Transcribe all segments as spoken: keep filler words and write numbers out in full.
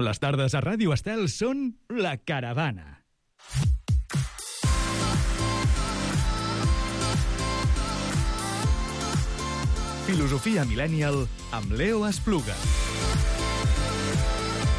Les tardes a Ràdio Estel són La Caravana. Filosofia Millennial amb Leo Espluga.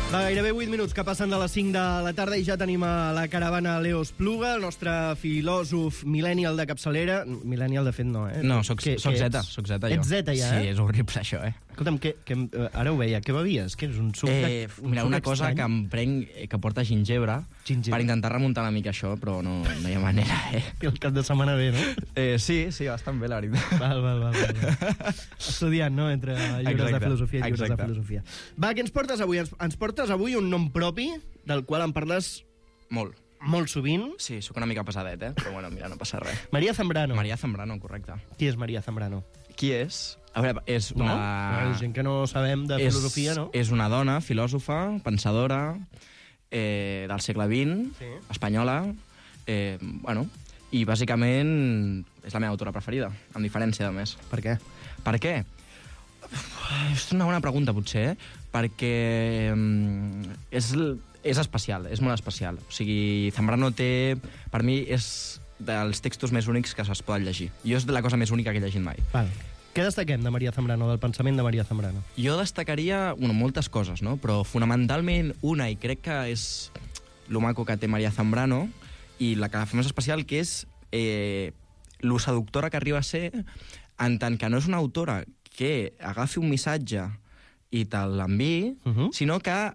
Va, gairebé vuit minuts que passen de les cinc de la tarda i ja tenim a la caravana Leo Espluga, el nostre filòsof millennial de capçalera. Millennial, de fet, no, eh? No, soc, Què, soc què Z, ets? soc Z, jo. Ets Z, ja, Sí, eh? és horrible, això, eh? Escolta'm, que, que, ara ho veia, què bevies? Què és un suc de, Eh, un mira, suc una cosa estrany? que em prenc, eh, que porta gingebre, Gingebre. per intentar remuntar una mica això, però no, no hi ha manera, eh? Que el cap de setmana ve, no? eh sí, sí, bastant bé, la veritat. Val, val, val. val. Estudiant, no?, entre llibres Exacte, de filosofia i llibres exacte. de filosofia. Va, què ens portes avui? Ens, ens portes avui un nom propi, del qual em parles Molt. molt sovint. Sí, sóc una mica pesadet, eh? Però bueno, mira, no passa res. Maria Zambrano. Maria Zambrano, correcte. Qui és Maria Zambrano? Qui és? A veure, és No? una... Hi ha gent que no sabem de és, filosofia, no? És una dona, filòsofa, pensadora, eh, del segle vint, Sí. espanyola, eh, bueno, i bàsicament és la meva autora preferida, amb diferència, a més. Per què? Per què? És una bona pregunta, potser, eh? Perquè mm, és, és especial, és molt especial. O sigui, Zambrano té, per mi, és dels textos més únics que es poden llegir. Jo és de la cosa més única que he llegit mai. Val. Què destaquem de Maria Zambrano, del pensament de Maria Zambrano? Jo destacaria, bueno, moltes coses, no? Però fonamentalment una, i crec que és lo maco que té Maria Zambrano, i la que la fa més especial, que és eh, lo seductora que arriba a ser, en tant que no és una autora que agafi un missatge i te l'enviï, Uh -huh. sinó que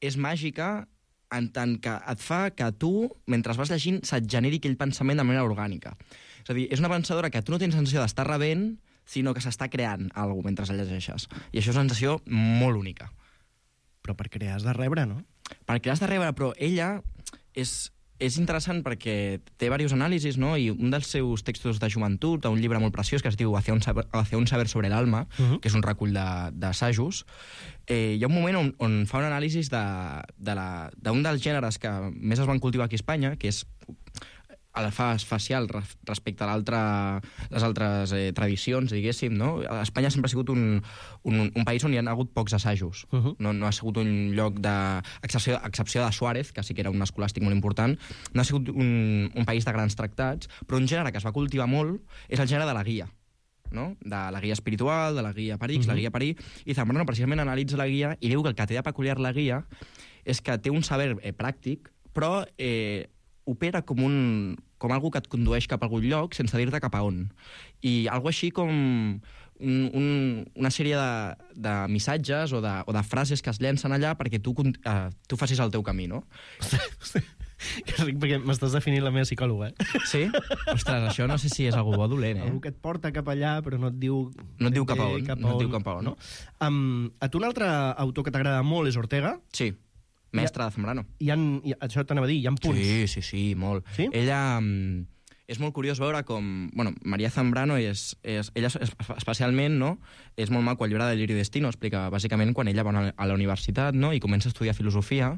és màgica en tant que et fa que tu, mentre vas llegint, se't generi aquell pensament de manera orgànica. És a dir, és una pensadora que tu no tens sensació d'estar rebent, sinó que s'està creant alguna cosa mentre la llegeixes. I això és una sensació molt única. Però per crear has de rebre, no? Perquè l'has de rebre, però ella és, és interessant perquè té diversos anàlisis, no? I un dels seus textos de joventut, un llibre molt preciós que es diu Hacia un saber, Hacia un saber sobre l'alma, Uh -huh. que és un recull d'assajos, eh, hi ha un moment on, on fa un anàlisi d'un de, de d'un dels gèneres que més es van cultivar aquí a Espanya, que és el fas facial respecte a l'altre, les altres eh, tradicions, diguéssim, no? Espanya sempre ha sigut un, un, un país on hi ha hagut pocs assajos. Uh -huh. no, no ha sigut un lloc de... Excepció, excepció de Suárez, que sí que era un escolàstic molt important, no ha sigut un, un país de grans tractats, però un gènere que es va cultivar molt és el gènere de la guia, no? De la guia espiritual, de la guia Parix, uh -huh. la guia Parí, i Zambrano precisament analitza la guia i diu que el que té de peculiar la guia és que té un saber eh, pràctic, però eh, opera com un com algú que et condueix cap a algun lloc sense dir-te cap a on. I algo així com un, un, una sèrie de, de missatges o de, o de frases que es llencen allà perquè tu, uh, tu facis el teu camí, no? Que ric, perquè m'estàs definint la meva psicòloga, eh? Sí? Ostres, això no sé si és algú bo o dolent, eh? Algú que et porta cap allà, però no et diu... No et diu cap a on, cap no et diu cap a on. No? Um, a tu un altre autor que t'agrada molt és Ortega. Sí, mestre de Zambrano. Hi ha, hi, això t'anava a dir, hi ha punts. Sí, sí, sí, molt. Sí? Ella... mm, és molt curiós veure com... Bueno, Maria Zambrano és... és ella és, especialment, no? És molt maco el llibre de Lliri Destino, explica bàsicament quan ella va a la universitat, no? I comença a estudiar filosofia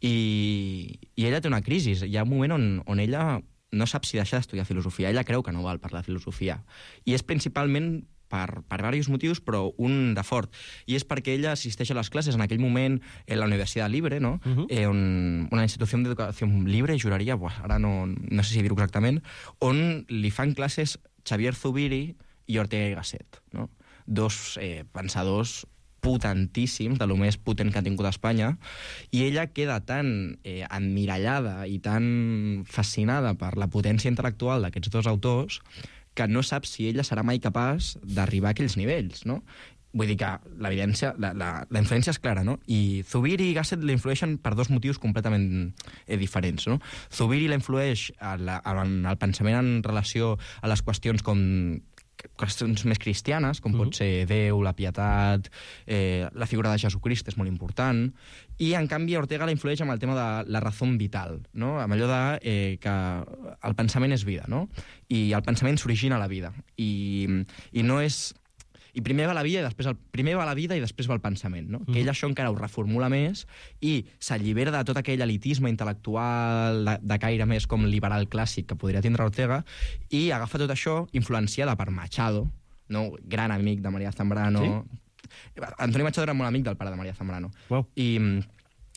i, i ella té una crisi. Hi ha un moment on, on ella no sap si deixar d'estudiar filosofia. Ella creu que no val per la filosofia. I és principalment per, per diversos motius, però un de fort. I és perquè ella assisteix a les classes en aquell moment en la Universitat Libre, no? Uh -huh. eh, on, una institució d'educació libre, juraria, buah, ara no, no sé si dir-ho exactament, on li fan classes Xavier Zubiri i Ortega y Gasset, no? Dos eh, pensadors potentíssims, de lo més potent que ha tingut Espanya, i ella queda tan eh, emmirallada i tan fascinada per la potència intel·lectual d'aquests dos autors que no sap si ella serà mai capaç d'arribar a aquells nivells, no? Vull dir que l'evidència, la, la, la influència és clara, no? I Zubiri i Gasset l'influeixen per dos motius completament eh, diferents, no? Zubiri l'influeix en el pensament en relació a les qüestions com qüestions més cristianes, com uh -huh. pot ser Déu, la pietat, eh, la figura de Jesucrist és molt important, i en canvi Ortega la influeix amb el tema de la raó vital, no? Amb allò de eh, que el pensament és vida, no? I el pensament s'origina a la vida, i, i no és... I primer va la vida i després el primer va la vida i després va el pensament, no? Mm. Que ell això encara ho reformula més i s'allibera de tot aquell elitisme intel·lectual de, de caire més com liberal clàssic que podria tindre Ortega i agafa tot això influenciada per Machado, no? Gran amic de Maria Zambrano, sí? Antoni Machado era molt amic del pare de Maria Zambrano. Wow. I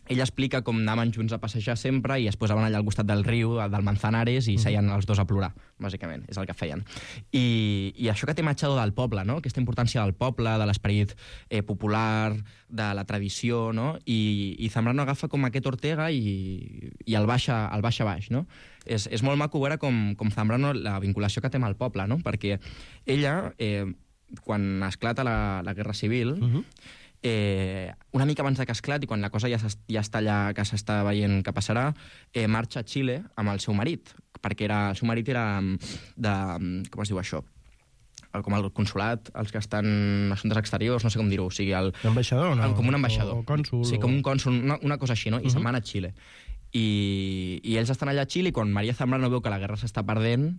ell explica com anaven junts a passejar sempre i es posaven allà al costat del riu, del Manzanares, i seien els dos a plorar, bàsicament, és el que feien. I, i això que té Machado del poble, no? Aquesta importància del poble, de l'esperit eh, popular, de la tradició, no? I, i Zambrano agafa com aquest Ortega i, i el baixa, el baixa baix, no? És, és molt maco veure com, com Zambrano, la vinculació que té amb el poble, no? Perquè ella, eh, quan esclata la, la Guerra Civil, uh-huh. Eh, una mica abans de que esclati, quan la cosa ja, ja està allà, que s'està veient què passarà, eh, marxa a Xile amb el seu marit, perquè era, el seu marit era de... com es diu això? El, com el consulat, els que estan en assumptes exteriors, no sé com dir-ho, o sigui... El, ambaixador, no? Com un ambaixador. O, o cònsul. Sí, com un cònsul, una, una cosa així, no? I uh-huh. se'n van a Xile. I, I ells estan allà a Xile i quan Maria Zambrano veu que la guerra s'està perdent,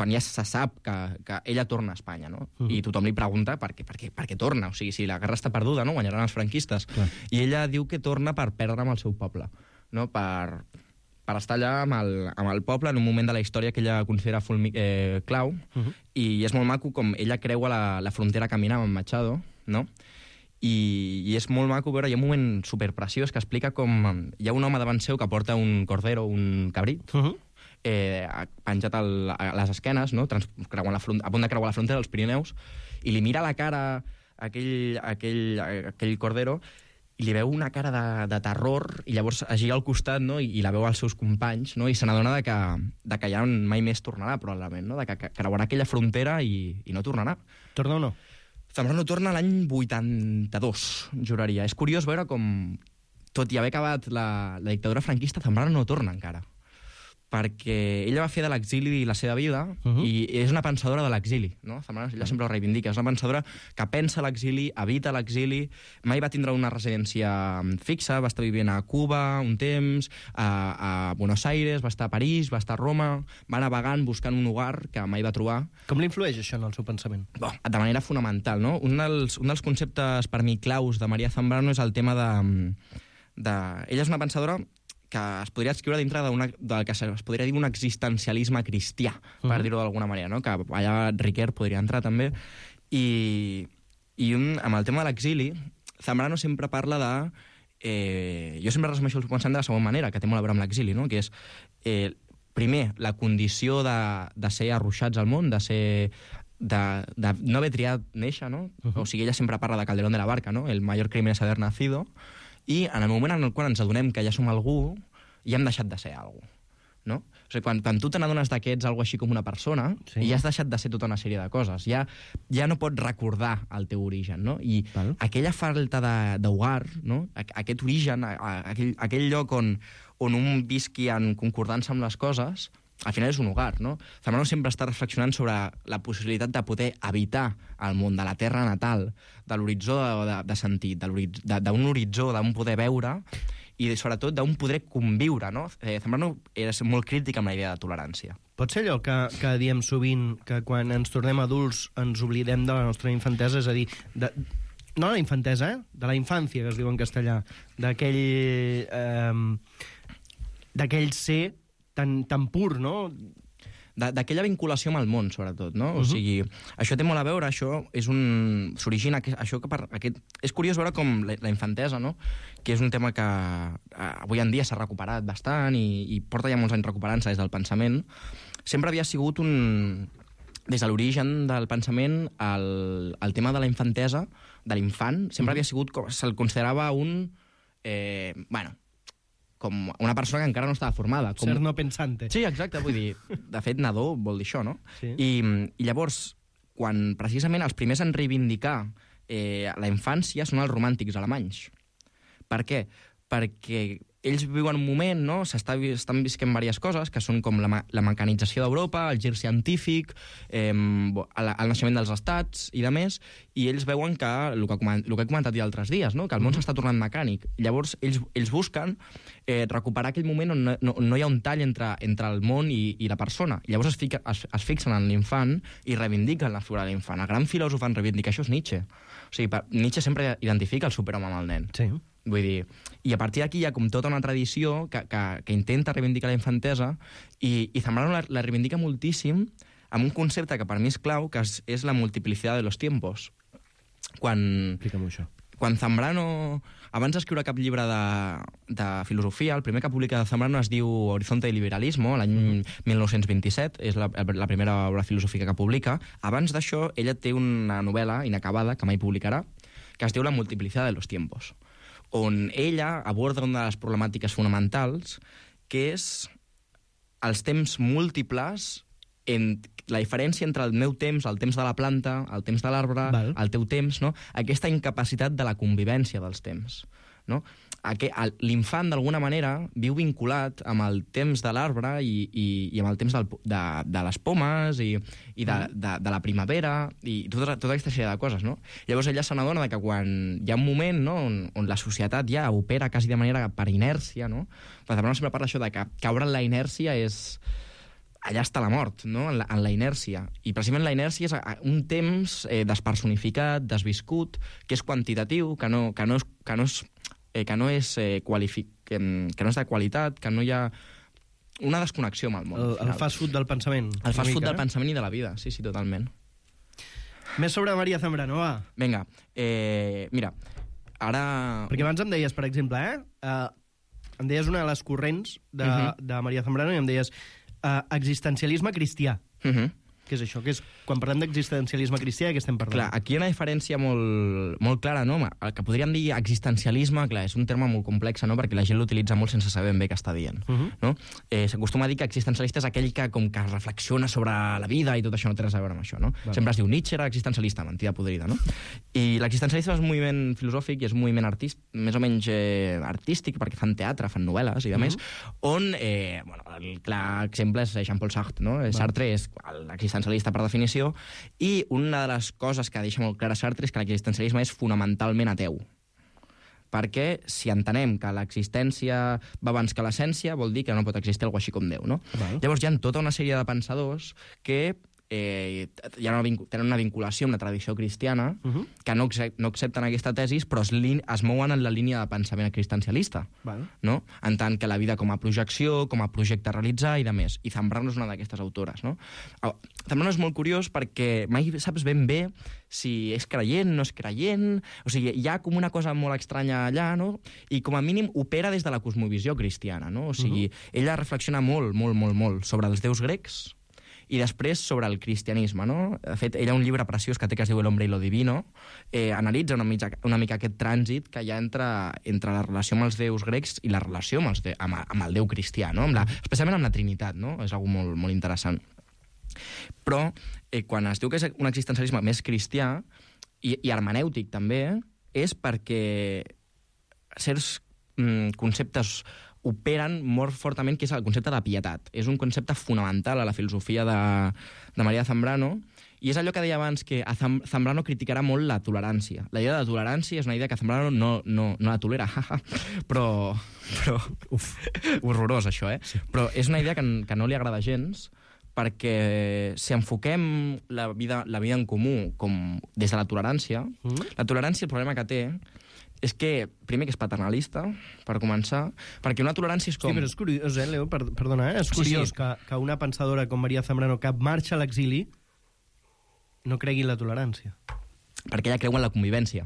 quan ja se sap que, que ella torna a Espanya, no? Uh-huh. I tothom li pregunta per què, per, què, per què torna, o sigui, si la guerra està perduda, no? Guanyaran els franquistes. Clar. I ella diu que torna per perdre amb el seu poble, no? Per, per estar allà amb el, amb el poble en un moment de la història que ella considera fulmi, eh, clau, uh-huh. i és molt maco com ella creua la, la frontera caminant amb Machado, no? I, i és molt maco veure, hi ha un moment superpreciós que explica com hi ha un home davant seu que porta un cordero, un cabrit, uh-huh. Eh, penjat al, a les esquenes, no? Trans, creuant la front, a punt de creuar la frontera dels Pirineus, i li mira la cara a aquell, a aquell, a aquell cordero i li veu una cara de, de terror, i llavors es gira al costat, no? I, i la veu als seus companys, no? I se n'adona de que, de que ja mai més tornarà, probablement, no? De que, que creuarà aquella frontera i, i no tornarà. Torna o no? Zambrano torna l'any vuitanta-dos, juraria. És curiós veure com, tot i haver acabat la, la dictadura franquista, Zambrano no torna encara. Perquè ella va fer de l'exili la seva vida, uh-huh. i és una pensadora de l'exili, no? Zambrano, ella sempre ho reivindica, és una pensadora que pensa l'exili, evita l'exili, mai va tindre una residència fixa, va estar vivint a Cuba un temps, a, a Buenos Aires, va estar a París, va estar a Roma, va navegant buscant un hogar que mai va trobar. Com l'influeix això en el seu pensament? Bo, de manera fonamental, no? Un dels, un dels conceptes per mi claus de Maria Zambrano és el tema de... de... Ella és una pensadora que es podria escriure dintre d'una, del que es podria dir un existencialisme cristià, per uh-huh. dir-ho d'alguna manera, no? Que allà Riquer podria entrar també. I, i un, amb el tema de l'exili, Zambrano sempre parla de... Eh, jo sempre resumeixo el pensament de la segona manera, que té molt a veure amb l'exili, no? Que és, eh, primer, la condició de, de ser arruixats al món, de ser... De, de no haver triat néixer, no? Uh-huh. O sigui, ella sempre parla de Calderón de la Barca, no? El mayor crimen es haber nacido. I en el moment en el qual ens adonem que ja som algú, ja hem deixat de ser algú, no? O sigui, quan, quan tu te n'adones que ets algo així com una persona, sí. ja has deixat de ser tota una sèrie de coses. Ja, ja no pots recordar el teu origen, no? I Val. aquella falta d'hogar, no? Aquest origen, aquell, aquell lloc on, on un visqui en concordança amb les coses, al final és un hogar, no? Zambrano sempre està reflexionant sobre la possibilitat de poder habitar el món, de la terra natal, de l'horitzó de, de, de sentit, d'un horitzó, d'un poder veure, i sobretot d'un poder conviure, no? Eh, Zambrano era molt crític amb la idea de tolerància. Pot ser allò que, que diem sovint, que quan ens tornem adults ens oblidem de la nostra infantesa, és a dir, de, no la infantesa, eh? De la infància, que es diu en castellà, d'aquell eh, d'aquell ser tan, tan pur, no? D'aquella vinculació amb el món, sobretot, no? Uh-huh. O sigui, això té molt a veure, això és un... s'origina... Això que per aquest... És curiós veure com la, la infantesa, no? Que és un tema que eh, avui en dia s'ha recuperat bastant i, i porta ja molts anys recuperant-se des del pensament. Sempre havia sigut un... Des de l'origen del pensament, el, el tema de la infantesa, de l'infant, sempre uh-huh. havia sigut... Se'l considerava un... Eh, bueno... com una persona que encara no estava formada. Com... Ser no pensante. Sí, exacte, vull dir, de fet, nadó vol dir això, no? Sí. I, I llavors, quan precisament els primers en reivindicar eh, la infància són els romàntics alemanys. Per què? Perquè ells viuen un moment, no? S'està, estan visquent diverses coses, que són com la, la mecanització d'Europa, el gir científic, eh, el, el naixement dels estats i de més, i ells veuen que, el que, el que he comentat ja altres dies, no? Que el món s'està tornant mecànic. Llavors, ells, ells busquen eh, recuperar aquell moment on no, no, no hi ha un tall entre, entre el món i, i la persona. Llavors es, fica, es, es fixen en l'infant i reivindiquen la figura de l'infant. El gran filòsof en reivindicar això és Nietzsche. O sigui, Nietzsche sempre identifica el superhome amb el nen. Sí. Vull dir, i a partir d'aquí hi ha com tota una tradició que, que, que intenta reivindicar la infantesa i, i Zambrano la, la reivindica moltíssim amb un concepte que per mi és clau, que és, és la multiplicitat de los tiempos. quan... Explica'm això. Quan Zambrano, abans d'escriure cap llibre de, de filosofia, el primer que publica Zambrano es diu Horizonte y Liberalismo, l'any mil nou-cents vint-i-set, és la, la primera obra filosòfica que publica. Abans d'això, ella té una novel·la inacabada, que mai publicarà, que es diu La multiplicidad de los tiempos, on ella aborda una de les problemàtiques fonamentals, que és els temps múltiples, en la diferència entre el meu temps, el temps de la planta, el temps de l'arbre, el teu temps, no? Aquesta incapacitat de la convivència dels temps. No? L'infant, d'alguna manera, viu vinculat amb el temps de l'arbre i, i, i amb el temps del, de, de les pomes i, i de, de, de la primavera i tota, tota aquesta sèrie de coses. No? Llavors ella se n'adona que quan hi ha un moment, no, on, on la societat ja opera quasi de manera per inèrcia, no? Però també sempre parla això de que caure en la inèrcia és... allà està la mort, no? en, la, en la inèrcia. I precisament la inèrcia és un temps eh, despersonificat, desviscut, que és quantitatiu, que no, que no és, que no és, eh, que no és, eh, qualific, que, que no és de qualitat, que no hi ha una desconnexió amb el món. El, el fast food del pensament. El fast food mica, del eh? pensament i de la vida, sí, sí, totalment. Més sobre María Zambrano, va. Vinga, eh, mira, ara... Perquè abans em deies, per exemple, eh? Uh, em deies una de les corrents de, uh -huh. de María Zambrano i em deies Uh, existencialisme cristià. Uh-huh. Què és això? Que és, quan parlem d'existencialisme cristià, de què estem parlant? Clar, aquí hi ha una diferència molt, molt clara, no? El que podríem dir existencialisme, clar, és un terme molt complex, no? Perquè la gent l'utilitza molt sense saber ben bé què està dient. Uh-huh. No? Eh, S'acostuma a dir que existencialista és aquell que com que reflexiona sobre la vida i tot això no té res a veure amb això, no? Vale. Sempre es diu Nietzsche era existencialista, mentida podrida, no? I l'existencialisme és un moviment filosòfic i és un moviment artist, més o menys eh, artístic, perquè fan teatre, fan novel·les i demés, uh-huh. on, eh, bueno, el clar exemple és Jean-Paul Sartre, no? Vale. Sartre és l'existencialista per definició, i una de les coses que deixa molt clara Sartre és que l'existencialisme és fonamentalment ateu. Perquè si entenem que l'existència va abans que l'essència, vol dir que no pot existir algo així com Déu, no? Val. Llavors hi ha tota una sèrie de pensadors que eh, hi ha una, tenen una vinculació amb la tradició cristiana, uh-huh. que no, no accepten aquesta tesis, però es, es mouen en la línia de pensament existencialista. Val. No? En tant que la vida com a projecció, com a projecte a realitzar i de més. I Zambrano és una d'aquestes autores. No? Zambrano és molt curiós perquè mai saps ben bé si és creient, no és creient... O sigui, hi ha com una cosa molt estranya allà, no? I com a mínim opera des de la cosmovisió cristiana, no? O sigui, uh-huh. ella reflexiona molt, molt, molt, molt sobre els déus grecs i després sobre el cristianisme, no? De fet, ella ha un llibre preciós que té que es diu El hombre y lo divino, eh, analitza una mica, una mica aquest trànsit que hi ha entre, entre la relació amb els déus grecs i la relació amb, els de, amb, amb el déu cristià, no? Amb la, especialment amb la Trinitat, no? És algo molt, molt interessant. Però, eh, quan es diu que és un existencialisme més cristià, i, i hermenèutic també, és perquè certs mm, conceptes operen molt fortament, que és el concepte de pietat. És un concepte fonamental a la filosofia de, de María Zambrano, i és allò que deia abans, que a Zambrano criticarà molt la tolerància. La idea de tolerància és una idea que Zambrano no, no, no la tolera, però... però uf, horrorós, això, eh? Sí. Però és una idea que, que no li agrada gens, perquè si enfoquem la vida, la vida en comú com des de la tolerància, mm. la tolerància, el problema que té és que, primer, que és paternalista, per començar, perquè una tolerància és com... Sí, però és curiós, eh, Leo? Per, perdona, eh? És curiós sí, sí. Que, que una pensadora com María Zambrano, que marxa a l'exili, no cregui en la tolerància. Perquè ella creu en la convivència,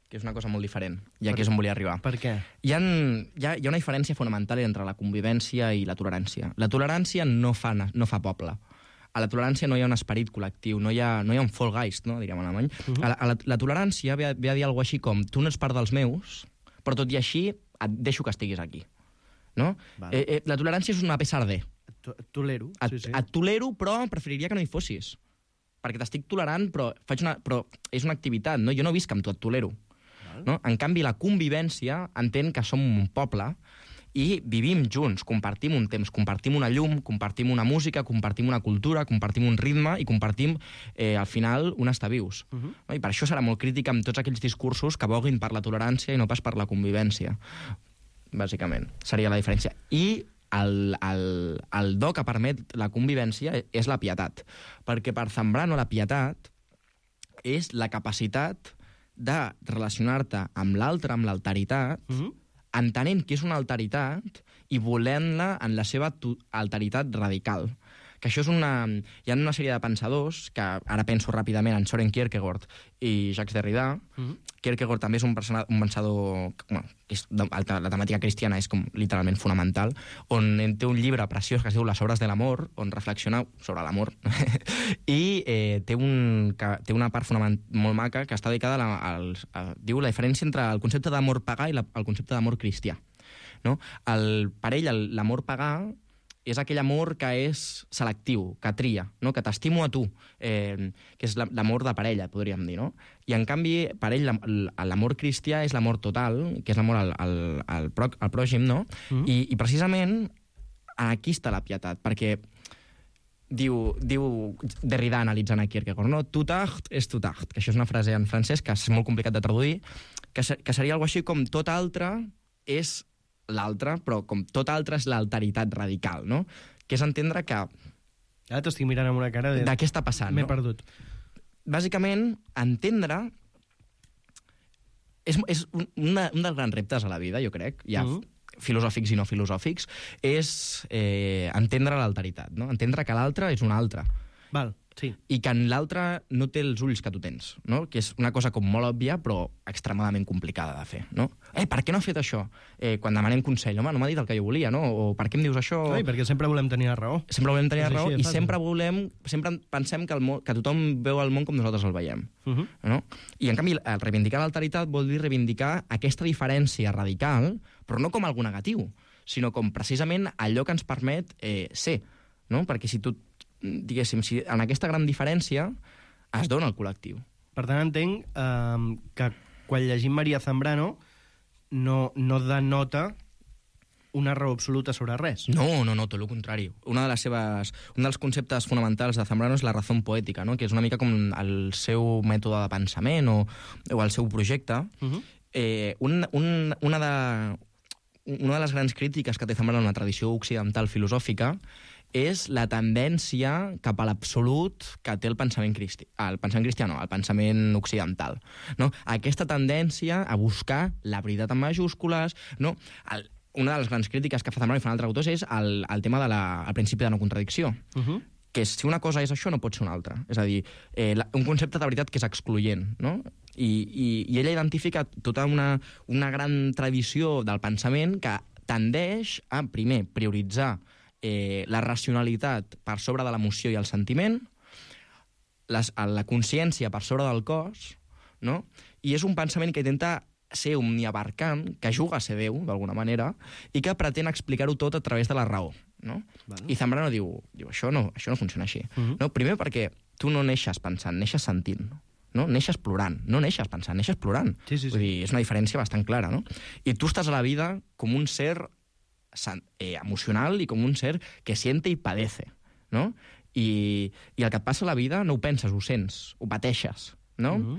que és una cosa molt diferent, i aquí és on volia arribar. Per què? Hi ha, hi, ha, hi ha una diferència fonamental entre la convivència i la tolerància. La tolerància no fa, no fa poble. A la tolerància no hi ha un esperit col·lectiu, no hi ha, no hi ha un Vollgeist, no, diríem en alemany. Uh -huh. a la, a la, la tolerància ve a, ve a dir alguna cosa així com tu no ets part dels meus, però tot i així et deixo que estiguis aquí. No? Vale. Eh, eh, la tolerància és una pesar de. Et tolero. Et, sí, sí. et tolero, però preferiria que no hi fossis. Perquè t'estic tolerant, però, faig una, però és una activitat, no? Jo no visc amb tu, et tolero. Vale. No? En canvi, la convivència entén que som un poble i vivim junts, compartim un temps, compartim una llum, compartim una música, compartim una cultura, compartim un ritme i compartim, eh, al final, un estar vius. Uh -huh. No? I per això serà molt crítica amb tots aquells discursos que voguin per la tolerància i no pas per la convivència. Bàsicament, seria la diferència. I el, el, el do que permet la convivència és la pietat. Perquè per Zambrano la pietat és la capacitat de relacionar-te amb l'altre, amb l'alteritat, uh -huh. entenent que és una alteritat i volent-la en la seva tu- alteritat radical, Que això és una... Hi ha una sèrie de pensadors, que ara penso ràpidament en Søren Kierkegaard i Jacques Derrida. Mm-hmm. Kierkegaard també és un, persona, un pensador... Bueno, és, la temàtica cristiana és com literalment fonamental, on té un llibre preciós que es diu Les obres de l'amor, on reflexiona sobre l'amor. I eh, té, un, que, té una part fonament, molt maca que està dedicada a, la, al, a, diu la diferència entre el concepte d'amor pagà i la, el concepte d'amor cristià. No? El, per ell, l'amor pagà és aquell amor que és selectiu, que tria, no? Que t'estimo a tu, eh, que és l'amor de parella, podríem dir, no? I, en canvi, per ell, l'amor cristià és l'amor total, que és l'amor al, al, al, pro, al pròxim, no? Mm. I, I, precisament, aquí està la pietat, perquè diu, diu Derrida analitzant a Kierkegaard, no? Tout art és tout art, que això és una frase en francès que és molt complicat de traduir, que, que seria alguna cosa així com tot altre és l'altre, però com tot altre és l'alteritat radical, no? Que és entendre que... Ara t'estic mirant amb una cara de... De què està passant, M'he no? perdut. Bàsicament, entendre... És, és un, una, un dels grans reptes a la vida, jo crec, ja uh -huh. filosòfics i no filosòfics, és eh, entendre l'alteritat, no? Entendre que l'altre és un altre. Val, sí. I que en l'altre no té els ulls que tu tens, no? Que és una cosa com molt òbvia, però extremadament complicada de fer, no? Eh, per què no ha fet això? Eh, quan demanem consell, home, no m'ha dit el que jo volia, no? O per què em dius això? Ai, perquè sempre volem tenir la raó. Sempre volem tenir És la raó així, i fàcil. sempre volem, sempre pensem que, el món, que tothom veu el món com nosaltres el veiem, uh -huh. no? I, en canvi, el reivindicar l'alteritat vol dir reivindicar aquesta diferència radical, però no com algú negatiu, sinó com precisament allò que ens permet eh, ser, no? Perquè si tu diguéssim, si en aquesta gran diferència es dona el col·lectiu. Per tant, entenc eh, que quan llegim Maria Zambrano no, no denota una raó absoluta sobre res. No, no, no, tot el contrari. Una de les seves, un dels conceptes fonamentals de Zambrano és la raó poètica, no? Que és una mica com el seu mètode de pensament o, o el seu projecte. Uh-huh. eh, un, un, una, de, una de les grans crítiques que té Zambrano en la tradició occidental filosòfica és la tendència cap a l'absolut que té el pensament cristià. El pensament cristià no, el pensament occidental. No? Aquesta tendència a buscar la veritat en majúscules, no? El, una de les grans crítiques que fa Zambrano i fan altres autors és el, el tema del de principi de no contradicció. Uh-huh. Que si una cosa és això, no pot ser una altra. És a dir, eh, la, un concepte de veritat que és excloent, no? I, i, i ella identifica tota una, una gran tradició del pensament que tendeix a, primer, prioritzar Eh, la racionalitat per sobre de l'emoció i el sentiment, les, la consciència per sobre del cos, no? I és un pensament que intenta ser omniabarcant, que juga a ser Déu, d'alguna manera, i que pretén explicar-ho tot a través de la raó, no? Bueno. I Zambrano diu, diu això, no, això no funciona així. Uh -huh. No? Primer perquè tu no neixes pensant, neixes sentint, no? Neixes plorant, no neixes pensant, neixes plorant. Sí, sí, sí. Vull dir, és una diferència bastant clara, no? I tu estàs a la vida com un ser Eh, emocional i com un ser que siente i padece, no? I, i el que et passa a la vida no ho penses, ho sents, ho pateixes, no? Uh-huh.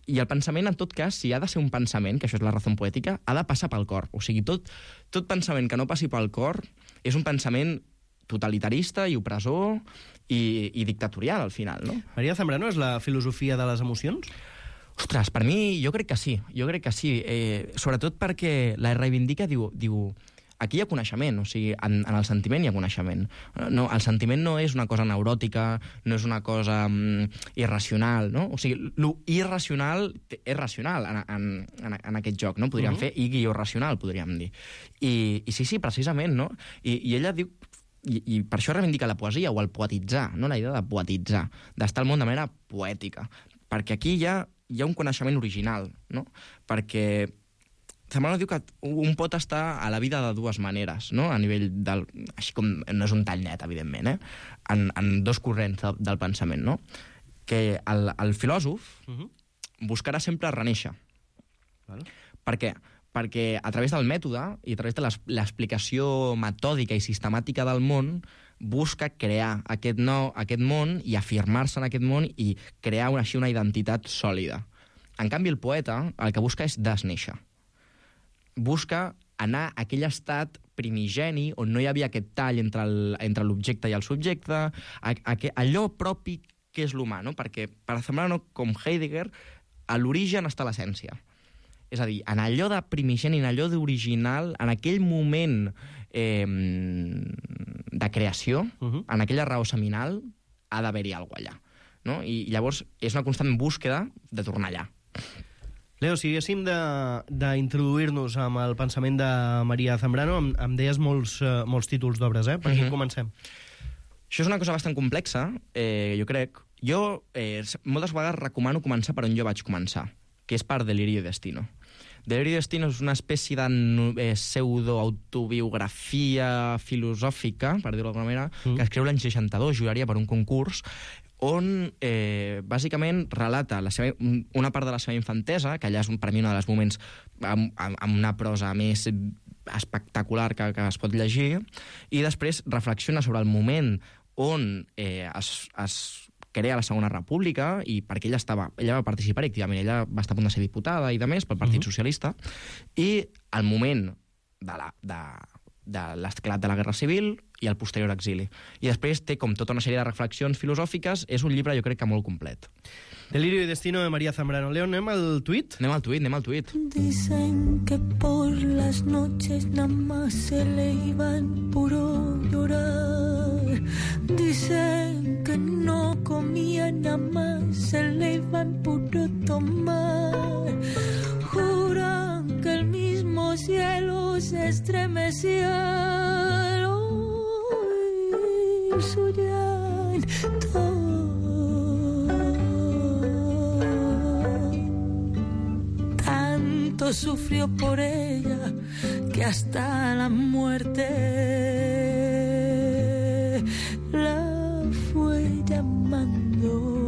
I el pensament, en tot cas, si ha de ser un pensament, que això és la raó poètica, ha de passar pel cor. O sigui, tot, tot pensament que no passi pel cor és un pensament totalitarista i opressor i, i dictatorial, al final, no? Maria Zambrano és la filosofia de les emocions? Ostres, per mi, jo crec que sí, jo crec que sí. Eh, sobretot perquè la reivindica, diu... diu aquí hi ha coneixement, o sigui, en, en el sentiment hi ha coneixement. No, el sentiment no és una cosa neuròtica, no és una cosa um, irracional, no? O sigui, lo irracional és racional en, en, en, en aquest joc, no? Podríem uh-huh. fer i-racional, podríem dir. I, I sí, sí, precisament, no? I, i ella diu... I, I per això reivindica la poesia, o el poetitzar, no? La idea de poetitzar, d'estar al món de manera poètica. Perquè aquí hi ha, hi ha un coneixement original, no? Perquè Zambrano diu que un pot estar a la vida de dues maneres, no? A nivell del... Així com no és un tall net, evidentment, eh? En, en dos corrents de, del pensament, no? Que el, el filòsof uh-huh. buscarà sempre renéixer. Val. Per què? Perquè a través del mètode i a través de l'explicació metòdica i sistemàtica del món busca crear aquest, nou, aquest món i afirmar-se en aquest món i crear una, així una identitat sòlida. En canvi, el poeta el que busca és desnéixer. Busca anar a aquell estat primigeni on no hi havia aquest tall entre l'objecte i el subjecte, a, a, a, allò propi que és l'humà, no? Perquè per Zambrano, com Heidegger, a l'origen està l'essència. És a dir, en allò de primigeni, en allò d'original, en aquell moment eh, de creació, Uh-huh. en aquella raó seminal ha d'haver-hi alguna allà. No? I llavors és una constant búsqueda de tornar allà. Leo, si haguéssim de- d'introduir-nos amb el pensament de Maria Zambrano, em, em deies molts, uh, molts títols d'obres, eh? Per Mhm. aquí comencem. Això és una cosa bastant complexa, eh, jo crec. Jo eh, moltes vegades recomano començar per on jo vaig començar, que és per Delirio y Destino. Delirio y Destino és una espècie de no- eh, pseudoautobiografia filosòfica, per dir-ho d'alguna manera, Mm. que escriu l'any seixanta-dos, juraria per un concurs, on eh, bàsicament relata la seva, una part de la seva infantesa, que allà és un, per mi un dels moments amb, amb, amb una prosa més espectacular que, que es pot llegir, i després reflexiona sobre el moment on eh, es, es crea la Segona República i perquè ella estava, ella va participar activament, ella va estar a punt de ser diputada i de més pel Partit Mhm. Socialista, i el moment de la, de, de l'esclat de la Guerra Civil i el posterior exili. I després té com tota una sèrie de reflexions filosòfiques. És un llibre, jo crec que molt complet. Delirio y Destino de María Zambrano. Leo, anem al tuit? Anem al tuit, anem al tuit. Dicen que por las noches nada más se le iban puro llorar. Dicen que no comía nada más se le iban puro tomar. Juran que el mismo cielo se estremecía al oír su llanto. Tanto sufrió por ella que hasta la muerte la fue llamando.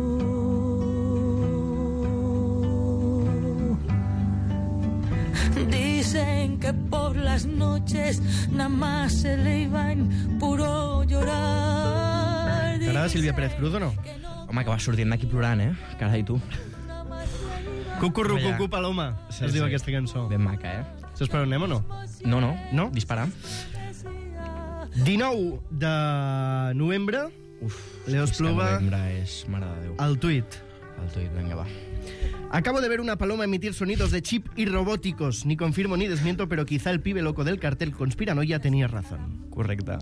Dicen que por las noches nada más se le iba en puro llorar. T'agrada Sílvia Pérez Cruz o no? Home, que vas sortint d'aquí plorant, eh? Carai, tu. Cucurru, Home, ja. cucú, paloma, Sí, es diu sí. aquesta cançó. Ben maca, eh? Saps per on anem o no? No, no. No? Dispara. dinou de novembre, Uf, Leo és que Espluga. novembre és... Mare de Déu. al tuit. El tuit, vinga, va. Acabo de ver una paloma emitir sonidos de chip y robóticos. Ni confirmo ni desmiento, pero quizá el pibe loco del cartel conspiranoia tenía razón. Correcte.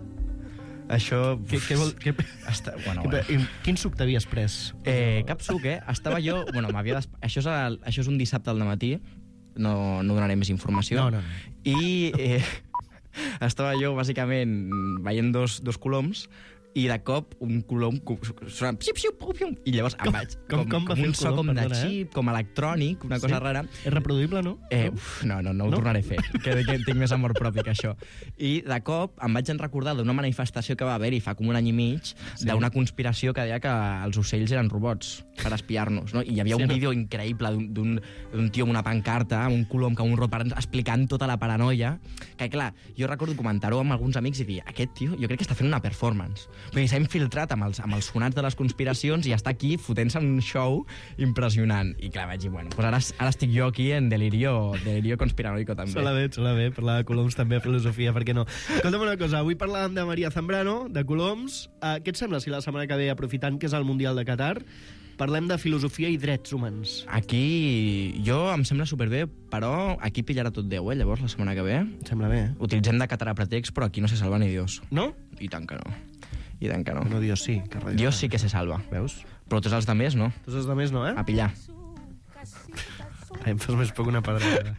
Això... Què, què vol, què, Està... Bueno, què, bueno. quin suc t'havies pres? Eh, cap suc, eh? Estava jo... Bueno, m'havia des... això, és el... això és un dissabte al matí, no, no donaré més informació. No, no, no. I eh, estava jo, bàsicament, veient dos, dos coloms, i de cop un colom sona psiu, psiu, pum, pum, i llavors em vaig com- com va fer un el so colom? com de Perdona, eh? xip, com electrònic, una cosa Sí? rara. És reproduïble, no? Eh, uf, no, no, no ho No? tornaré a fer, que, que tinc més amor propi que això. I de cop em vaig recordar d'una manifestació que va haver-hi fa com un any i mig, Sí. d'una conspiració que deia que els ocells eren robots per espiar-nos, no? I hi havia Sí, un no? vídeo increïble d'un- d'un d'un tio amb una pancarta, amb un colom que amb un robot explicant tota la paranoia, que clar, jo recordo comentar-ho amb alguns amics i dir, aquest tio jo crec que està fent una performance. Vull dir, s'ha infiltrat amb els, amb els sonats de les conspiracions i està aquí fotent-se un show impressionant. I clar, vaig dir, bueno, doncs ara, ara estic jo aquí en delirio, delirio conspiranoico també. Sola bé, sola bé, parlar de coloms també, filosofia, per què no? Escolta'm una cosa, avui parlàvem de Maria Zambrano, de coloms. Uh, què et sembla si la setmana que ve, aprofitant que és el Mundial de Qatar, parlem de filosofia i drets humans? Aquí jo em sembla superbé, però aquí pillarà tot Déu, eh, llavors, la setmana que ve. Em sembla bé, eh? Utilitzem de Qatar a pretext, però aquí no se salva ni Dios. No? I tant que no. I tant que no. No, Dios sí. Que res. Dios sí que se salva. Veus? Però tots els altres no. Tots els altres no, eh? A pillar. Ai, em fas més poc una pedrada.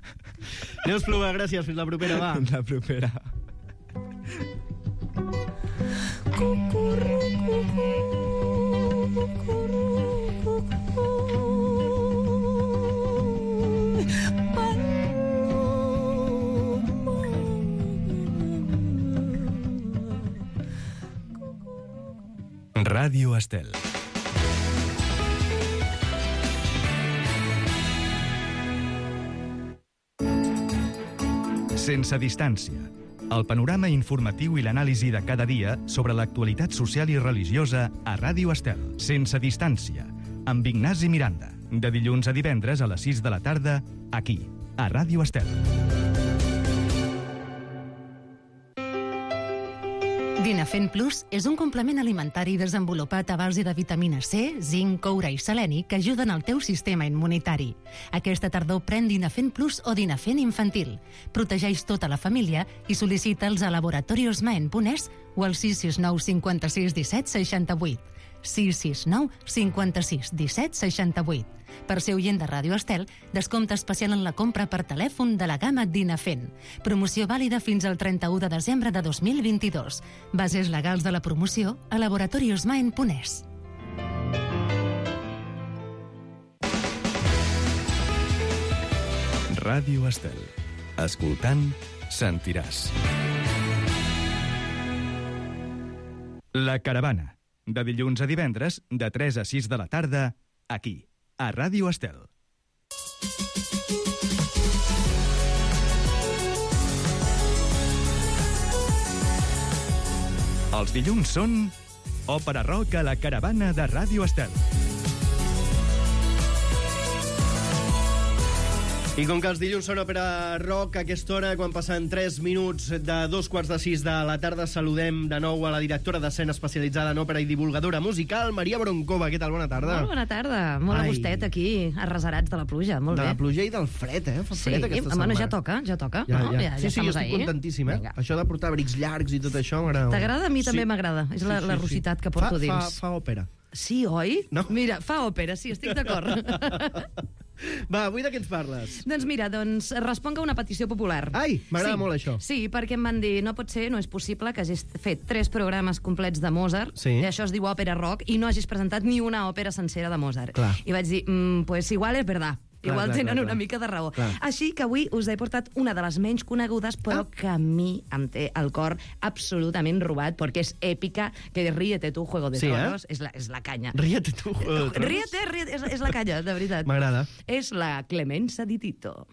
Neus Pluga, gràcies. Fins la propera, va. La propera. Ràdio Estel. Sense distància. El panorama informatiu i l'anàlisi de cada dia sobre l'actualitat social i religiosa a Ràdio Estel. Sense distància. Amb Ignasi Miranda. De dilluns a divendres a les sis de la tarda, aquí, a Ràdio Estel. Dinafen Plus és un complement alimentari desenvolupat a base de vitamina C, zinc, coure i seleni que ajuden al teu sistema immunitari. Aquesta tardor pren Dinafen Plus o Dinafen infantil. Protegeix tota la família i sol·licita'ls a laboratorios maen punt es o al sis sis nou cinquanta-sis disset seixanta-vuit. sis sis nou cinquanta-sis disset seixanta-vuit. Per ser oient de Ràdio Estel, descompte especial en la compra per telèfon de la gamma Dinafen. Promoció vàlida fins al trenta-u de desembre de dos mil vint-i-dos. Bases legals de la promoció a laboratorios maen punt es. Ràdio Estel. Escoltant, sentiràs. La Caravana. De dilluns a divendres, de tres a sis de la tarda, aquí, a Ràdio Estel. Els dilluns són Òpera Rock a la Caravana de Ràdio Estel. I com que els dilluns són òpera rock, a aquesta hora, quan passen tres minuts de dos quarts de sis de la tarda, saludem de nou a la directora d'escena especialitzada en òpera i divulgadora musical, Maria Broncova. Què tal? Bona tarda. Molt bona tarda. Molt Ai. a gustet aquí, arrasarats de la pluja. Molt de bé. la pluja i del fred, eh? Fa Sí, fred aquesta bueno, setmana. ja toca, ja toca. Ja, no? ja. ja, sí, ja sí, jo estamos estic ahí. contentíssim, eh? Vinga. Això de portar abrics llargs i tot això m'agrada. T'agrada? A mi també Sí. m'agrada. És la, Sí, la sí, rositat sí. que porto fa, dins. Fa, fa òpera. Sí, oi? No? Mira, fa òpera, sí, estic d'acord. Va, avui de què ens parles? Doncs mira, doncs responc a una petició popular. Ai, m'agrada sí. molt això. Sí, perquè em van dir, no pot ser, no és possible que hagis fet tres programes complets de Mozart, Sí. i això es diu òpera rock, i no hagis presentat ni una òpera sencera de Mozart. Clar. I vaig dir, mm, pues igual és verdad. Clar, Igual clar, tenen clar, una clar. mica de raó. Clar. Així que avui us he portat una de les menys conegudes, però Ah. que a mi em té el cor absolutament robat, perquè és èpica, que Ríete tu, Juego de Sí, eh? Tronos, és, la, és la canya. Ríete tu, Juego de Tronos. Ríete, ríete, és, és la canya, de veritat. M'agrada. És la Clemenza di Tito.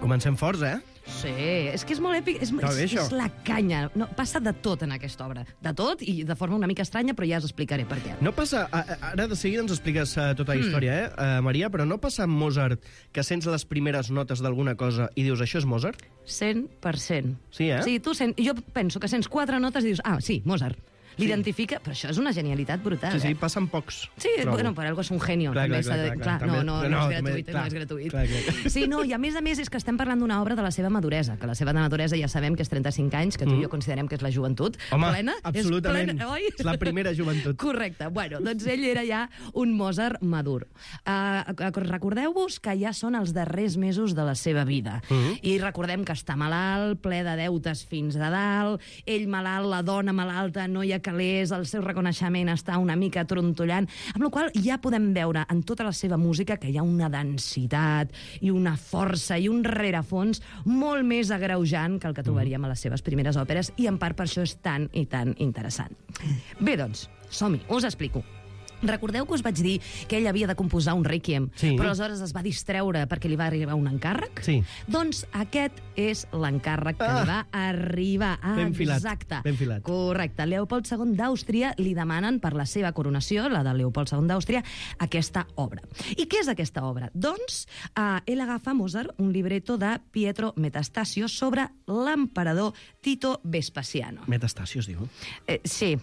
Comencem forts, eh? Sí, és que és molt èpic, és, Està bé, és, això. és la canya. No, passa de tot en aquesta obra. De tot i de forma una mica estranya, però ja us explicaré per què. No passa... a- a- Ara de seguida ens expliques uh, tota la història, eh, uh, Maria, però no passa amb Mozart que sents les primeres notes d'alguna cosa i dius, això és Mozart? cent per cent. Sí, eh? Sí, tu sent, jo penso que sents quatre notes i dius, ah, sí, Mozart. L'identifica, però això és una genialitat brutal. Sí, sí, eh? passen pocs. Sí, trobo. bueno, per algo és un genio. Clar, també clar, s'ha de- clar, clar, clar, també- no, no, no, no, és també- gratuït, clar, no és gratuït. clar, clar. Sí, no, i a més a més és que estem parlant d'una obra de la seva maduresa, que la seva maduresa ja sabem que és trenta-cinc anys, que tu Mm. i jo considerem que és la joventut. Home, plena, absolutament. És plena, oi? És la primera joventut. Correcte. Bueno, doncs ell era ja un Mozart madur. Uh, recordeu-vos que ja són els darrers mesos de la seva vida. Mhm. I recordem que està malalt, ple de deutes fins a dalt, ell malalt, la dona malalta, no hi ha calés, el seu reconeixement està una mica trontollant, amb la qual cosa ja podem veure en tota la seva música que hi ha una densitat i una força i un rerefons molt més agreujant que el que trobaríem a les seves primeres òperes, i en part per això és tan i tan interessant. Bé, doncs, som-hi, us explico. Recordeu que us vaig dir que ell havia de composar un Requiem, Sí. però aleshores es va distreure perquè li va arribar un encàrrec? Sí. Doncs aquest és l'encàrrec que Ah. li va arribar. Ah, Ben filat, exacte. ben filat. Correcte. Leopold segon d'Àustria li demanen per la seva coronació, la de Leopold segon d'Àustria, aquesta obra. I què és aquesta obra? Doncs eh, ell agafa Mozart un libreto de Pietro Metastasio sobre l'emperador Tito Vespasiano. Metastasio es diu. Eh, sí.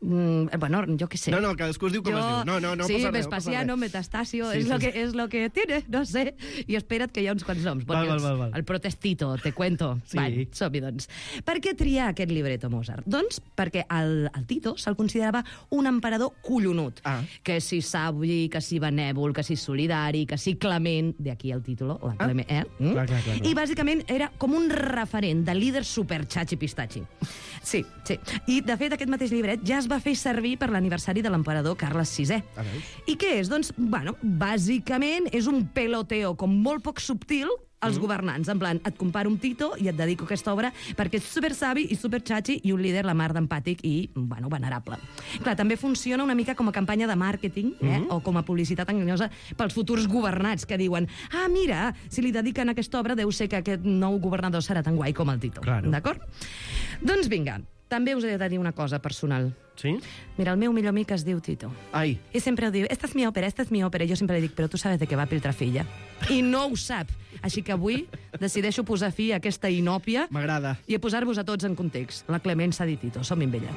Mm, bueno, jo què sé. No, no, cadascú es diu com Jo- es diu. No, no, no sí, passa res, no Vespasiano, passa res. Metastasio, Sí, és, sí, lo sí. que, és lo que tiene, no sé. I espera't que hi ha uns quants noms. Val, val, els- val, val. El protestito, te cuento. Sí. Vale, som-hi, doncs. Per què triar aquest libreto Mozart? Doncs perquè el, el Tito se'l considerava un emperador collonut. Ah. Que si savi, que si benèvol, que si solidari, que si clement, de aquí el títol, la Ah. clement, eh? Mm? Clar, clar, clar, clar. I bàsicament era com un referent de líder super xachi pistachi. Sí, sí. I, de fet, aquest mateix llibret ja es va fer servir per l'aniversari de l'emperador Carles sisè. A veure. I què és? Doncs, bueno, bàsicament és un peloteo com molt poc subtil als governants. En plan, et comparo amb Tito i et dedico aquesta obra perquè és super savi i super xachi i un líder la mar d'empàtic i, bueno, venerable. Clar, també funciona una mica com a campanya de màrqueting, eh? o com a publicitat enganyosa pels futurs governats que diuen, ah, mira, si li dediquen aquesta obra deu ser que aquest nou governador serà tan guai com el Tito. Claro. D'acord? Doncs vinga, També us he de dir una cosa personal. Sí? Mira, el meu millor amic es diu Tito. Ai. I sempre ho diu, esta és mi òpera, esta és mi òpera. I jo sempre li dic, però tu sabes de què va Piltrafilla. I no ho sap. Així que avui decideixo posar fi a aquesta inòpia M'agrada. i a posar-vos a tots en context. La Clemença di Tito. Som-hi amb ella.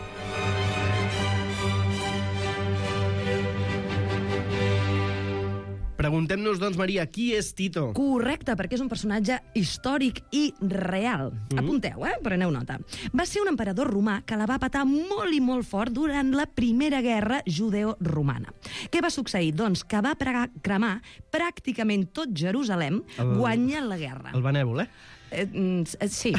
Preguntem-nos, doncs, Maria, qui és Tito? Correcte, perquè és un personatge històric i real. Mm. Apunteu, eh? Preneu nota. Va ser un emperador romà que la va patar molt i molt fort durant la Primera Guerra Judeo-Romana. Què va succeir? Doncs que va pregar, cremar pràcticament tot Jerusalem el... guanyant la guerra. El benèvol, eh? Eh, eh, sí.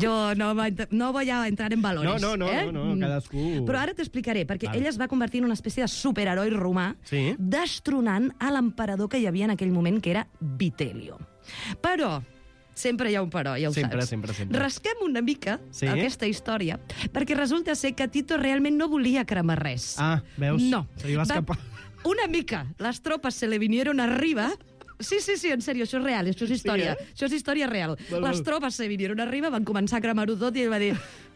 Jo no, no voy a entrar en valores. No, no, no, eh? no, no, cadascú... Però ara t'explicaré, perquè Vale. ell es va convertir en una espècie de superheroi romà, Sí. destronant a l'emperador que hi havia en aquell moment, que era Vitelio. Però, sempre hi ha un però, ja ho Sempre, saps. sempre, sempre. Rasquem una mica Sí. aquesta història, perquè resulta ser que Tito realment no volia cremar res. Ah, veus? No. Se li va escapar. Una mica. Les tropes se le vinieron arriba. Sí, sí, sí, en sèrio, això és real, això és història. Sí, eh? Això és història real. Val, val. Les tropes se vinieron arriba, van començar a cremar-ho tot i ell va dir...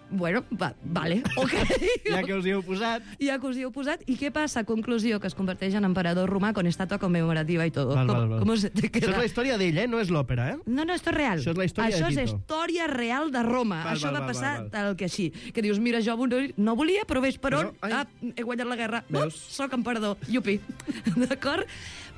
Bueno, va, vale, ok. Ja que us hi heu posat... Ja que us hi heu posat. I què passa? Conclusió, que es converteix en emperador romà con estatua conmemorativa i tot. Val, val, val. Com se te queda? Això és la història d'ell, eh? No és l'òpera, eh? No, no, esto és real. Això és la història Això de és Tito. història real de Roma. Val, Això val, va val, passar val, val. tal que així. Que dius, mira, jo no volia, però ves per on. Però, ai. Ah, he guanyat la guerra. Veus? Oh, soc emperador. Iupi. D'acord?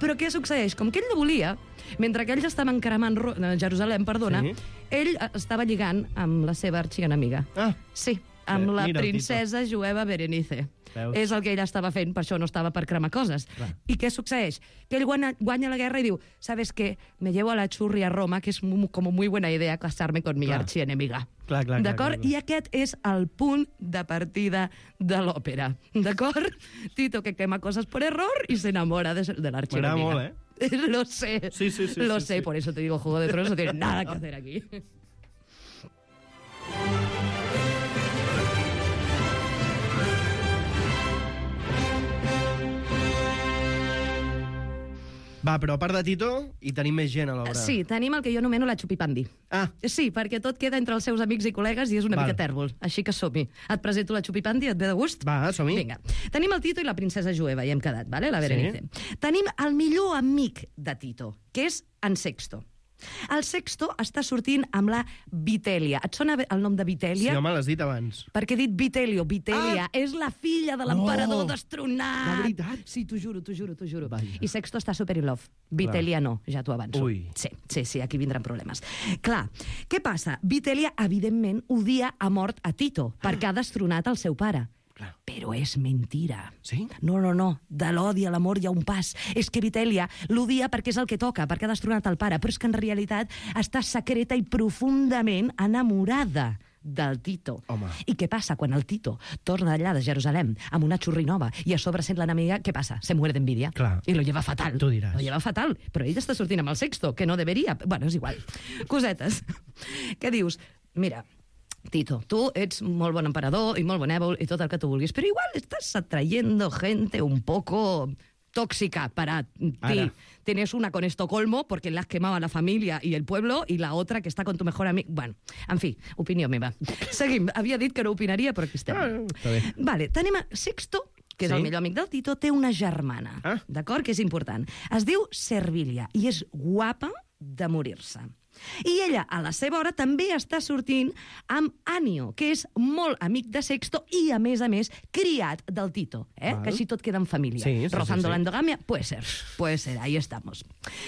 Però què succeeix? Com que ell no volia, mentre que ells estaven cremant Ro- eh, Jerusalem, perdona, Sí. ell eh, estava lligant amb la seva arxienemiga. Ah, Sí, amb Bé, la mira el princesa jueva Berenice. Veus? És el que ell estava fent, per això no estava per cremar coses. Clar. I què succeeix? Que ell guanya, guanya la guerra i diu, ¿sabes qué? Me llevo a la churri a Roma, que es mu- como muy buena idea casarme con mi Clar. archienemiga. Clar, clar, clar, D'acord? clar, clar. I aquest és el punt de partida de l'òpera. D'acord? Tito que quema cosas por error y se enamora de, de la archienemiga. M'agrada molt, eh? Lo sé. Sí, sí, sí, Lo sí, sé, sí. por eso te digo, Juego de Tronos no tiene nada que hacer aquí. Va, però a part de Tito, hi tenim més gent a l'obra. Sí, tenim el que jo anomeno la xupipandi. Ah, Sí, perquè tot queda entre els seus amics i col·legues i és una Val. mica tèrbol. Així que som-hi. Et presento la xupipandi, et ve de gust? va, som-hi. Vinga. Tenim el Tito i la princesa jueva, i hem quedat, vale? La Berenice. Sí. Tenim el millor amic de Tito, que és en Sexto. El Sexto està sortint amb la Vitelia. Et sona el nom de Sí, Vitelia? home, l'has dit abans. Perquè he dit Vitelio, Vitelia. Ah! És la filla de l'emperador No! destronat. De veritat? Sí, t'ho juro, t'ho juro, t'ho juro. Vaja. I Sexto està super in love. Vitelia no, ja t'ho avanço. Ui. Sí, sí, sí, aquí vindran problemes. Clar, què passa? Vitelia, evidentment, odia a mort a Tito, perquè ha destronat el seu pare. Clar. Però és mentira. Sí? No, no, no. De l'odi a l'amor hi ha un pas. És que Vitelia l'odia perquè és el que toca, perquè ha destronat el pare, però és que en realitat està secreta i profundament enamorada del Tito. Home. I què passa quan el Tito torna d'allà de Jerusalem amb una xurri nova i a sobre sent l'enemiga, què passa? Se muere d'envidia. Clar. I lo lleva fatal. Tu diràs. Lo lleva fatal. Però ell està sortint amb el Sexto, que no deberia. Bueno, és igual. Cosetes. Què dius? Mira, Tito, tu ets molt bon emperador i molt benèvol i tot el que tu vulguis, però igual estás atrayendo gente un poco tóxica para ti. Ara. Tienes una con Estocolmo porque le has quemado a la familia y el pueblo y la otra que está con tu mejor amigo. Bueno, en fi, opinió meva. Seguim. Havia dit que no opinaria, però aquí estem. Ah, està bé. Vale, tenim a Sexto, que és Sí. el millor amic del Tito, té una germana, Ah. d'acord? Que és important. Es diu Servilia i és guapa de morir-se. I ella, a la seva hora, també està sortint amb Anio, que és molt amic de Sexto i, a més a més, criat del Tito, eh? Val. Que així tot queda en família. Sí, sí, Rozando sí, sí. la endogamia, puede ser, puede ser, ahí estamos.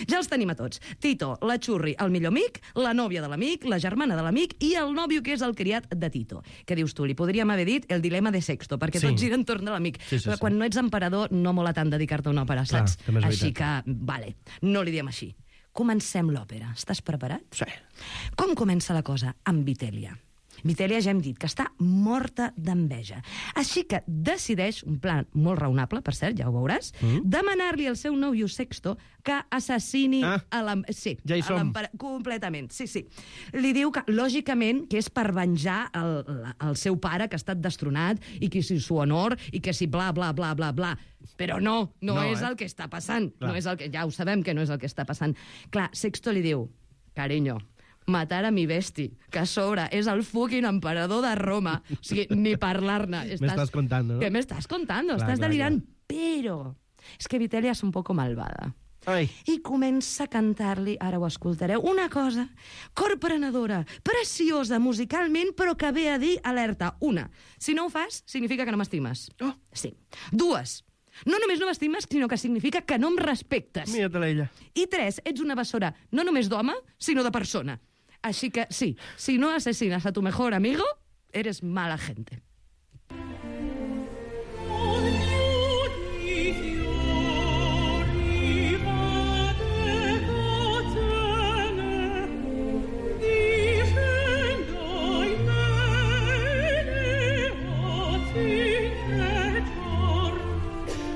Ja els tenim a tots. Tito, la xurri, el millor amic, la nòvia de l'amic, la germana de l'amic i el nòvio, que és el criat de Tito. Què dius tu? Li podríem haver dit el dilema de Sexto, perquè Sí. tot gira entorn de l'amic. Sí, sí, Però sí. quan no ets emperador, no mola tant dedicar-te a una òpera, Clar, saps? també és Així que, veritat. vale, no li diem així. Comencem l'òpera. Estàs preparat? Sí. Com comença la cosa? Amb Vitelia. Vitelia ja hem dit que està morta d'enveja. Així que decideix, un plan molt raonable, per cert, ja ho veuràs, mm. demanar-li al seu nòvio Sexto que assassini Ah, a l'em... Sí, ja hi a som. l'empera- completament, sí, sí. Li diu que, lògicament, que és per venjar el, la- el seu pare, que ha estat destronat, i que si su honor, i que si bla, bla, bla, bla, bla. Però no, no, No, és eh? el que està passant. Clar. No és el que... Ja ho sabem que no és el que està passant. Clar, Sexto li diu, cariño, matar a mi besti, que a sobre és el fucking emperador de Roma. O sigui, ni parlar-ne. Me estás contando, ¿no? ¿Qué me estás contando? Clar, Estás clar, delirant. Però és que Vitelia és un poco malvada. Ai. I comença a cantar-li, ara ho escoltareu, una cosa corprenedora, preciosa musicalment, però que ve a dir, alerta, una, si no ho fas, significa que no m'estimes. Oh. Sí. Dues, no només no m'estimes, sinó que significa que no em respectes. Mira-te-la ella. I tres, ets una bessora no només d'home, sinó de persona. Així que, sí, si no asesinas a tu mejor amigo, eres mala gente.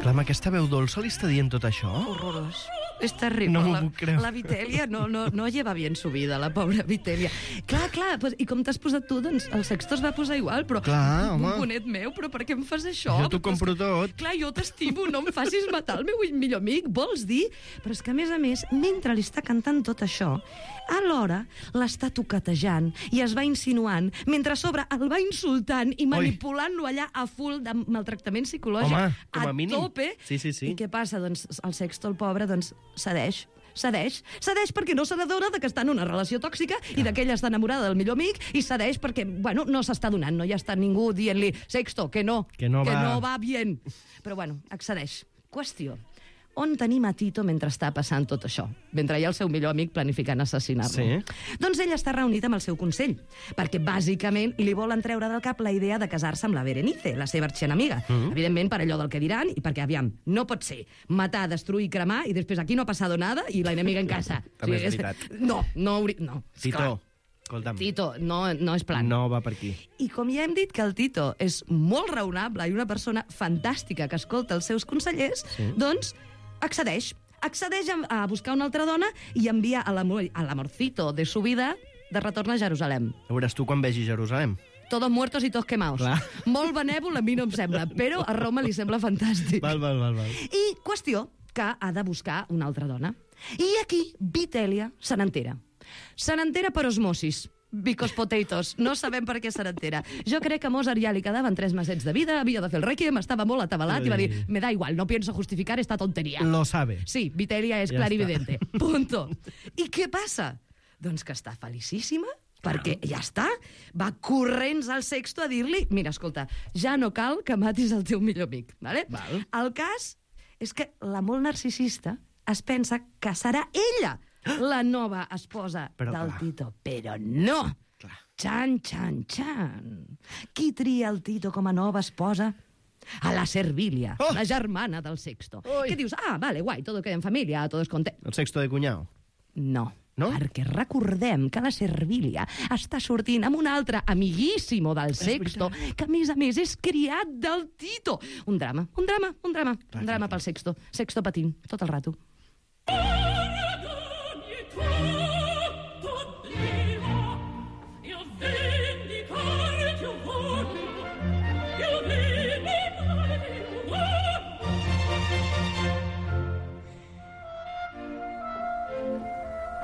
Clar, amb aquesta veu dolça li està dient tot això? Horrorós. És terrible. No m'ho la, puc creure. La Vitelia no, no, no lleva bien su vida, la pobra Vitelia. Clar, clar, pues, i com t'has posat tu, doncs el Sexto es va posar igual, però... Clar, home. Bonet meu, però per què em fas això? Jo t'ho compro tot. Clar, jo t'estimo, no em facis matar el meu millor amic, vols dir? Però és que, a més a més, mentre li està cantant tot això, alhora l'està toquetejant i es va insinuant, mentre a sobre el va insultant i manipulant-lo allà a full de maltractament psicològic. Home, com a mínim. tope. Sí, sí, sí. I què passa? Doncs el Sexto, el pobre, doncs cedeix. Cedeix. Cedeix perquè no se n'adona que està en una relació tòxica i que ella està enamorada del millor amic, i cedeix perquè, bueno, no s'està donant, no hi està ningú dient-li, Sexto, que no, Que no que va. no va bien. Però, bueno, accedeix. Qüestió. On tenim a Tito mentre està passant tot això? Mentre hi ha el seu millor amic planificant assassinar-lo. Sí. Doncs ell està reunit amb el seu consell, perquè bàsicament li volen treure del cap la idea de casar-se amb la Berenice, la seva arxienemiga. Mm -hmm. Evidentment, per allò del que diran, i perquè, aviam, no pot ser matar, destruir, cremar, i després aquí no ha passat nada i la enemiga en casa. També és veritat. No, no hauria... No, Tito, esclar. escolta'm, Tito, no, no és plan. no va per aquí. I com ja hem dit que el Tito és molt raonable i una persona fantàstica que escolta els seus consellers, Sí. doncs accedeix. Accedeix a, a buscar una altra dona i envia a l'amor- a l'amorcito de su vida de retorn a Jerusalem. Ja veuràs tu quan vegi Jerusalem. Todos muertos i todos quemados. Clar. Molt benèvol a mi no em sembla, però a Roma li sembla fantàstic. Val, val, val, val. I qüestió que ha de buscar una altra dona. I aquí Vitelia se n'entera. Se n'entera per osmosis. Because potatoes. No sabem per què se n'entera. Jo crec que a Mozart ja li quedaven tres mesets de vida, havia de fer el Requiem, estava molt atabalat i va dir, me da igual, no pienso justificar esta tontería. Lo sabe. Sí, Vitelia és Ja clarividente. Punto. I què passa? Doncs que està felicíssima, perquè ja està, va corrents al Sexto a dir-li, mira, escolta, ja no cal que matis el teu millor amic. Vale? Val. El cas és que la molt narcisista es pensa que serà ella la nova esposa Però, del clar. Tito. Però no! Clar. Xan, xan, xan. Qui tria el Tito com a nova esposa? A la Servilia, Oh! la germana del Sexto. Ui. Què dius? Ah, vale, guai, todo queda en familia, todo es content. El Sexto de cunyau. No. No? Perquè recordem que la Servilia està sortint amb un altre amiguíssimo del Sexto, que a més a més és criat del Tito. Un drama, un drama, un drama. Clar, un drama clar, pel Sexto. Sexto patint, tot el rato.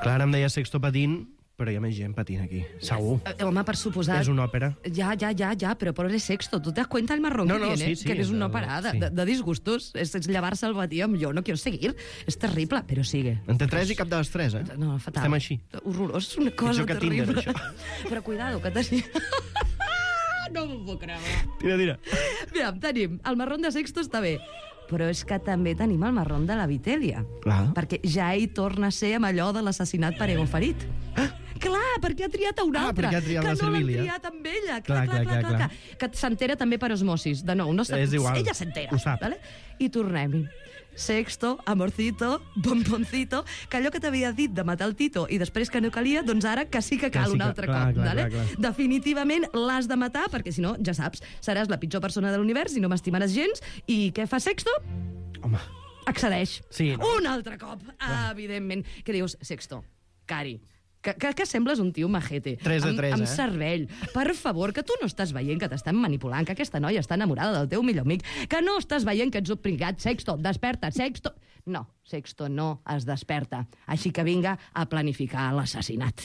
Clar, em deia Sexto patint, però hi ha més gent patint aquí. Segur. Eh, home, per suposar... És una òpera. Ya, ya, ya, ya, pero pobre Sexto, ¿tú te das cuenta el marrón No, que no, tiene? sí, sí, que eres de- una parada sí. de, de disgustos. Es, es llevarse al batí amb jo, no quiero seguir. És terrible, però sigue. En té tres i cap de les tres, eh? No, fatal. Estem així. Horrorós, és una cosa Pitjor que Tinder, terrible. això. Però cuidado, que tenim... no m'ho puc creure. Tira, tira. Mira, tenim el marrón de Sexto està bé, però és que també tenim el marrón de la Vitelia. Clar. Perquè ja hi torna a ser amb allò de l'assassinat per ego ferit. Clar, perquè ha triat a un Ah, altre, perquè ha triat que la no l'han Servilia. triat amb ella. Clar, Clar, clar, clar, clar, clar, clar, clar. Que s'entera també per osmosis. De nou, no sap, És igual. ella s'entera. Ho sap. Vale? I tornem-hi. Sexto, amorcito, bomboncito, que allò que t'havia dit de matar el Tito i després que no calia, doncs ara que sí que Que cal sí un que- altre clar, cop. clar, vale? clar, clar. Definitivament l'has de matar, perquè si no, ja saps, seràs la pitjor persona de l'univers i no m'estimaràs gens. I què fa Sexto? Home, Accedeix. Sí, no? Un altre cop, evidentment. Què dius? Sexto, cari, que, que, que sembles un tio majete. Tres de amb, tres, amb eh? cervell. Per favor, que tu no estàs veient que t'estan manipulant, que aquesta noia està enamorada del teu millor amic, que no estàs veient que ets obligat. Sexto, desperta, Sexto... No, Sexto no es desperta. Així que vinga a planificar l'assassinat.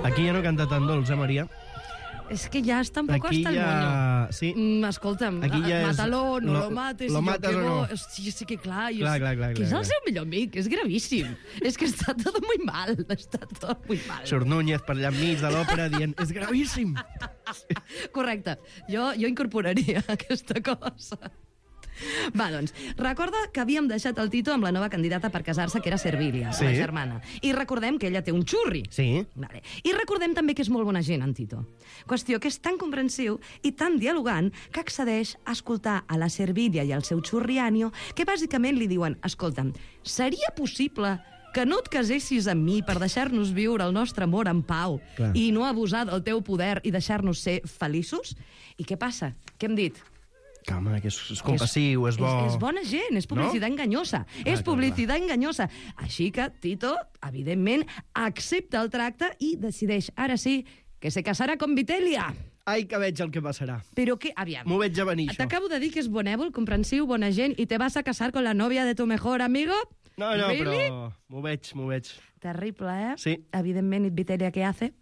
Aquí ja no canta tan dolç, eh, Maria? És que ja està un poc Aquí hasta el ja... moño. Sí. Mm, escolta'm, Aquí ja és- mátalo, no lo- lo mates, lo si mates yo o quemo... no. Hosti, sí que clar, jo, Clar, clar, clar, que és clar, el clar. seu millor amic, és gravíssim. És que està tot muy mal, està tot muy mal. Surt Núñez per allà enmig de l'òpera dient és gravíssim. Correcte, jo, jo incorporaria aquesta cosa. Va, doncs, recorda que havíem deixat el Tito amb la nova candidata per casar-se, que era Servilia, Sí. la germana. I recordem que ella té un xurri. Sí. Vale. I recordem també que és molt bona gent, en Tito. Qüestió que és tan comprensiu i tan dialogant que accedeix a escoltar a la Servilia i al seu xurrianio, que bàsicament li diuen, escolta'm, seria possible que no et casessis amb mi per deixar-nos viure el nostre amor en pau Clar. i no abusar del teu poder i deixar-nos ser feliços? I què passa? Què hem dit? Que, home, que és, és compassiu, és bo... És, és bona gent, és publicitat No? enganyosa. és clar, publicitat enganyosa. Així que Tito, evidentment, accepta el tracte i decideix, ara sí, que se casarà con Vitelia. Ai, que veig el que passarà. Però que, aviam, M'ho veig a venir, això. t'acabo de dir que és bonèvol, comprensiu, bona gent, i te vas a casar con la novia de tu mejor amigo? No, no, Really? però m'ho veig, m'ho veig. Terrible, eh? Sí. Evidentment, Vitelia, què hace?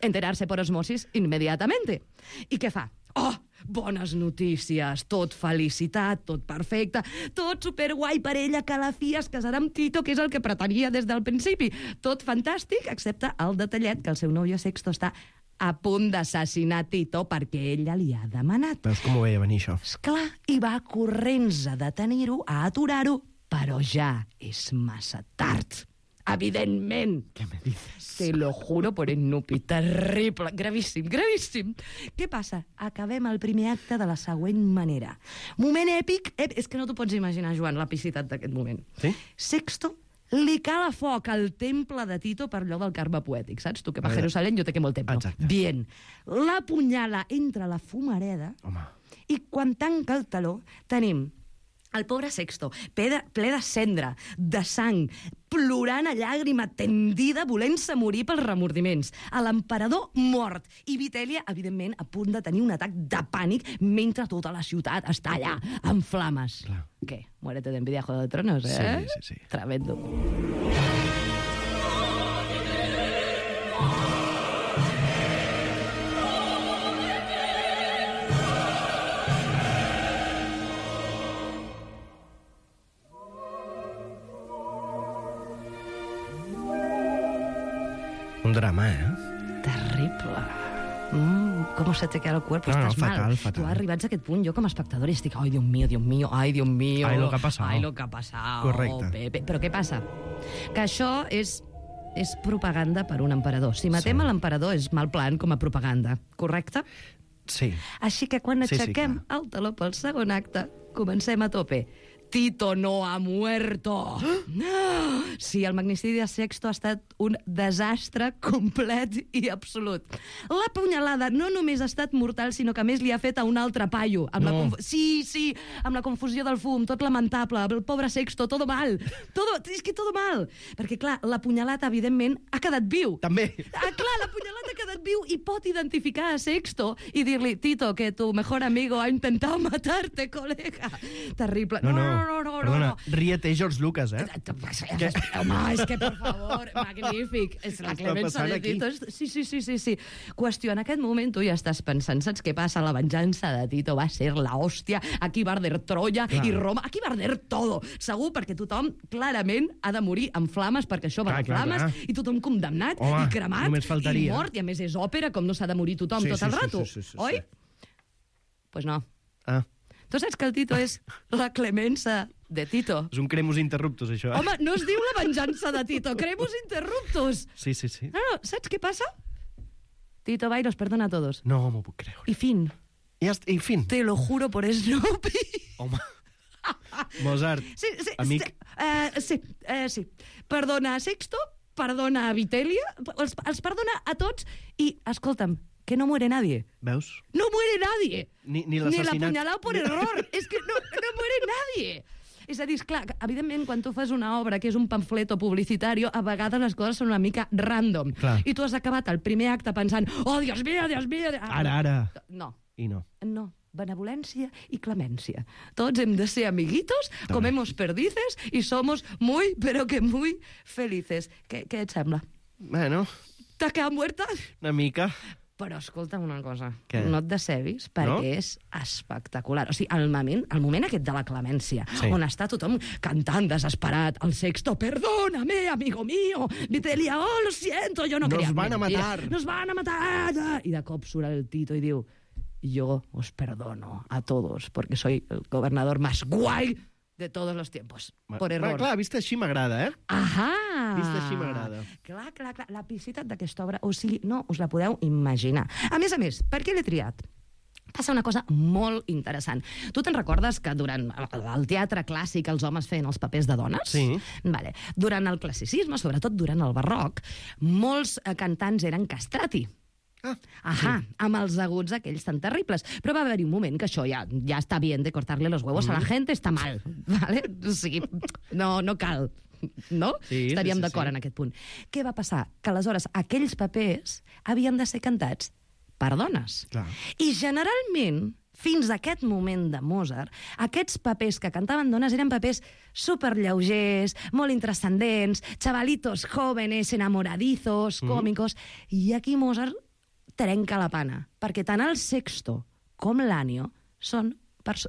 Enterarse por osmosis inmediatamente. I què fa? Oh, bones notícies, tot felicitat, tot perfecte, tot superguai per ella, que a la fi es casarà amb Tito, que és el que pretenia des del principi. Tot fantàstic, excepte el detallet que el seu nòvio Sexto està a punt d'assassinar Tito perquè ella li ha demanat. Veus com ho veia venir, això? Esclar, i va corrents a detenir-ho, a aturar-ho, però ja és massa tard. Evidentment. Què me dices? Te lo juro por el nupi. Terrible. Gravíssim, gravíssim. Què passa? Acabem el primer acte de la següent manera. Moment èpic. Ep, és que no t'ho pots imaginar, Joan, l'epicitat d'aquest moment. Sí? Sexto li cala foc al temple de Tito per allò del karma poètic, saps? Tu que va a Vale. Jerusalén, jo te quemo el templo. Exacte. Bien. La punyala entre la fumareda Home. i quan tanca el taló tenim el pobre Sexto, ple de, ple de cendra, de sang, plorant a llàgrima tendida, volent-se morir pels remordiments. A l'emperador mort. I Vitelia, evidentment, a punt de tenir un atac de pànic mentre tota la ciutat està allà, en flames. Clar. Què? Muérete d'envidia, Juego de Tronos, eh? Sí, sí, sí. Tremendo. Un drama, eh? Terrible. Mm, ¿Cómo se te queda el cuerpo? No, no, Estás fatal, mal. fatal. Tu arribats a aquest punt, jo com a espectador estic, ai, Dios mío, Dios mío, ai, Dios mío. Ai, lo que ha passat. Ai, lo que ha passat. Correcte. Pepe. Però què passa? Que això és, és propaganda per un emperador. Si matem Sí. a l'emperador és mal plan com a propaganda, correcte? Sí. Així que quan Sí, sí, aixequem clar. el taló pel segon acte, comencem a tope. Tito no ha muerto. Sí, el magnicidi de Sexto ha estat un desastre complet i absolut. La punyalada no només ha estat mortal, sinó que a més li ha fet a un altre paio. Amb la No. conf... Sí, sí, amb la confusió del fum, tot lamentable, el pobre Sexto, todo mal. Todo, és que todo mal. Perquè, clar, la punyalada, evidentment, ha quedat viu. També. Ah, clar, la punyalada ha quedat viu i pot identificar a Sexto i dir-li, Tito, que tu mejor amigo ha intentado matarte, colega. Terrible. No, no, no, no, perdona, no. ríete George Lucas, eh? Home, és que, per favor, magnífic. És la Què està clemença passant de aquí? Tito. És- Sí, sí, sí, sí, sí. Qüestió, en aquest moment tu ja estàs pensant, saps què passa? La venjança de Tito va ser la hòstia. Aquí va arder Troya Clar. i Roma. Aquí va arder todo. Segur, perquè tothom clarament ha de morir en flames, perquè això va Clar, de clar, flames, clar. i tothom condemnat Home, i cremat només faltaria. i mort. I a més és òpera, com no s'ha de morir tothom Sí, tot sí, el sí, rato. sí, sí, sí, sí. Oi? Pues no. Ah, Tu saps que el Tito és la clemença de Tito. és un cremus interruptus, això, eh? Home, no es diu la venjança de Tito, cremus interruptus. Sí, sí, sí. No, no, saps què passa? Tito va y los perdona a todos. No m'ho puc creure. Y fin. I, hasta, i fin. Te lo juro por Snoopy. Home. Mozart, Sí, sí, amic. sí, uh, sí, uh, sí. Perdona a Sexto, perdona a Vitelia, els, els perdona a tots i, escolta'm, que no muere nadie. Veus? No muere nadie. Ni, ni Ni l'assassinat. l'apuñalado por error. Es que no, no muere nadie. És a dir, esclar, evidentment, quan tu fas una obra que és un pamfleto publicitari, a vegades les coses són una mica random. Clar. I tu has acabat el primer acte pensant, oh, Dios mío, Dios mío... Ara, ara. No. I no. No. Benevolència i clemència. Tots hem de ser amiguitos, comemos perdices i somos muy, pero que muy felices. Què, què et sembla? Bueno, T'has quedat muerta? una mica. Però escolta'm una cosa, Què? no et decebis, perquè No? és espectacular. O sigui, el moment, el moment aquest de la clemència, Sí. on està tothom cantant desesperat, el sexto, perdóname, amigo mío, Vitelia, oh, lo siento, yo no Nos quería... van a Mentira, matar. Nos van a matar! I de cop surt el Tito i diu, yo os perdono a todos, porque soy el gobernador más guay de todos los tiempos. Por error. Bueno, clar, vist així m'agrada, eh? Ahà! Vist així m'agrada. Clar, clar, clar. La piscitat d'aquesta obra, o sigui, no us la podeu imaginar. A més a més, per què l'he triat? Passa una cosa molt interessant. Tu te'n recordes que durant el teatre clàssic els homes feien els papers de dones? Sí. Vale. Durant el classicisme, sobretot durant el barroc, molts eh, cantants eren castrati. Ah, Ahà, sí. Amb els aguts aquells tan terribles. Però va haver-hi un moment que això ja, ja està bien de cortarle los huevos mm. a la gente, està mal, ¿vale? O sigui, no, no cal, no? Sí, Estaríem sí, sí, d'acord sí. en aquest punt. Què va passar? Que aleshores aquells papers havien de ser cantats per dones. Clar. I generalment, fins a aquest moment de Mozart, aquests papers que cantaven dones eren papers superllaugers, molt intrascendents, chavalitos jóvenes, enamoradizos, còmicos, mm. i aquí Mozart trenca la pana, perquè tant el Sexto com l'Anio són,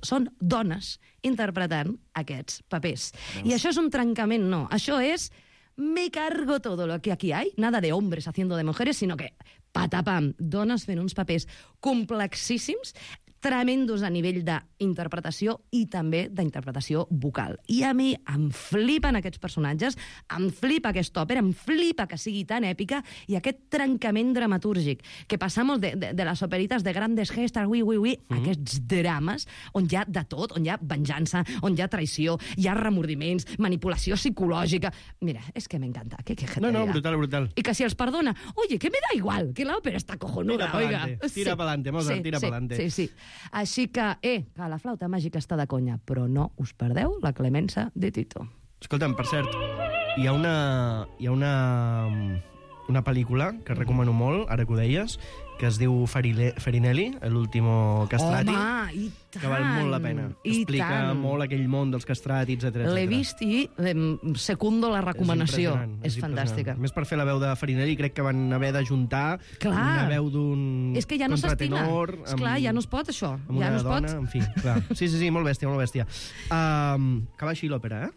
són dones interpretant aquests papers. Veus? I això és un trencament, no. Això és me cargo todo lo que aquí hay, nada de hombres haciendo de mujeres, sino que patapam, dones fent uns papers complexíssims, tremendos a nivell d'interpretació i també d'interpretació vocal. I a mi em flipen aquests personatges, em flipa aquesta òpera, em flipa que sigui tan èpica i aquest trencament dramatúrgic, que passamos de, de, de les operites de grandes gestas, ui, ui, ui, mm. aquests drames on hi ha de tot, on hi ha venjança, on hi ha traïció, hi ha remordiments, manipulació psicològica... Mira, és que m'encanta. ¿Qué, qué No, no, brutal, brutal. Y que si els perdona, oye, que me da igual, que la ópera está cojonuda, Tira oiga. pa'lante, tira pa'lante, Mozart, sí, tira sí, pa'lante. Sí, sí. Així que, eh, que la flauta màgica està de conya, però no us perdeu la clemença de Tito. Escolta'm, per cert, hi ha una, hi ha una, una pel·lícula que recomano molt, ara que ho deies, que es diu Farile, Farinelli, l'último castrati. Home, i tant! Que val molt la pena. I Explica tant. molt aquell món dels castrati, etcètera. L'he vist i em, secundo la recomanació. És, és fantàstica. A més, per fer la veu de Farinelli, crec que van haver d'ajuntar una veu d'un És que ja no s'estima. contratenor... Esclar, ja no es pot, això. Amb ja una no es dona, pot. en fi, clar. Sí, sí, sí, molt bèstia, molt bèstia. Um, que va així l'òpera, eh?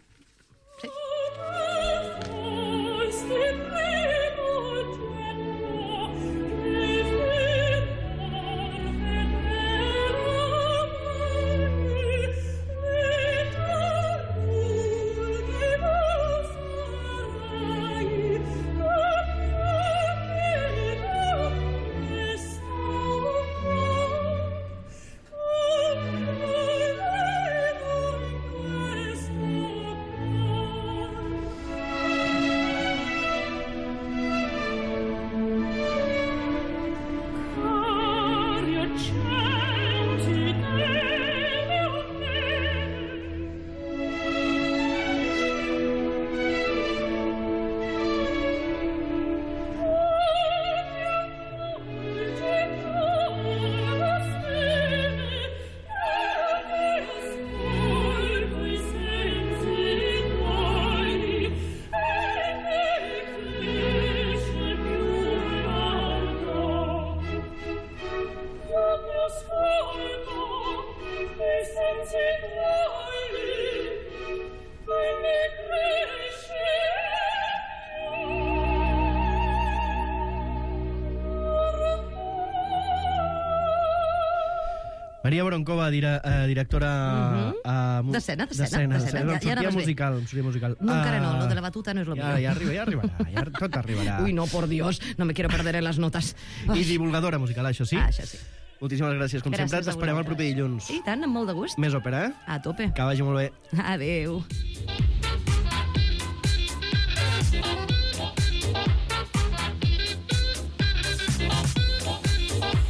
Maria Bronkova, dire, uh, directora... Uh-huh. uh, D'escena, d'escena. D'escena, Ja, ja ja anaves bé. musical, sortia musical. No, encara no, Uh, lo de la batuta no és lo ja, mío. ja arriba, ja arribarà, ja, tot arribarà. Uy, no, por Dios, no me quiero perder en las notas. I divulgadora musical, això sí? Ah, això sí. Moltíssimes gràcies. Com Gràcies sempre, a t'esperem el vosaltres. proper dilluns. I tant, amb molt de gust. Més òpera, eh? A tope. Que vagi molt bé. Adéu.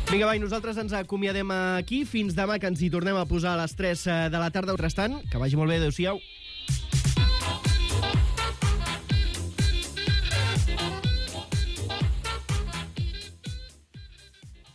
Vinga, va, i nosaltres ens acomiadem aquí. Fins demà, que ens hi tornem a posar a les tres de la tarda. Restant, que vagi molt bé. Adéu-siau.